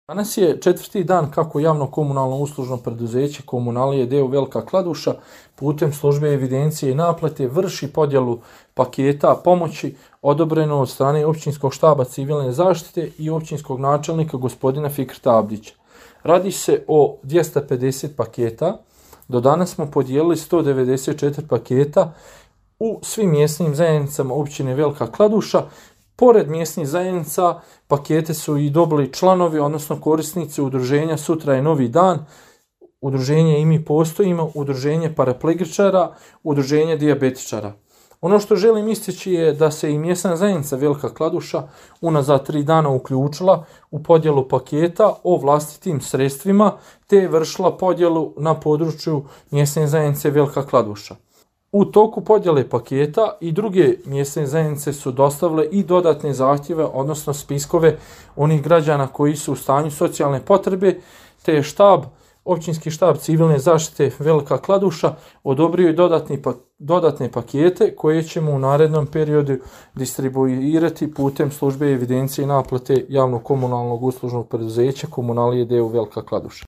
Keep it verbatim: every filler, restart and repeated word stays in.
Danas je četvrti dan kako javno komunalno uslužno preduzeće Komunalije d.o.o. Velika Kladuša putem službe evidencije i naplate vrši podjelu paketa pomoći odobreno od strane općinskog štaba civilne zaštite i općinskog načelnika gospodina Fikreta Abdića. Radi se o dvjesto pedeset paketa. Do danas smo podijelili sto devedeset četiri paketa u svim mjesnim zajednicama općine Velika Kladuša. Pored mjesnih zajednica, pakete su i dobili članovi, odnosno korisnici udruženja Sutra je novi dan, udruženje I mi postojimo, udruženje paraplegičara, udruženje dijabetičara. Ono što želim istići je da se i mjesna zajednica Velika Kladuša unazad tri dana uključila u podjelu paketa o vlastitim sredstvima, te je vršila podjelu na području mjesne zajednice Velika Kladuša. U toku podjele paketa i druge mjesne zajednice su dostavile i dodatne zahtjeve, odnosno spiskove onih građana koji su u stanju socijalne potrebe, te je štab, općinski štab civilne zaštite Velika Kladuša odobrio i dodatni, dodatne pakete koje ćemo u narednom periodu distribuirati putem službe evidencije i naplate javnog komunalnog uslužnog preduzeća Komunalije d.o.o. Velika Kladuša.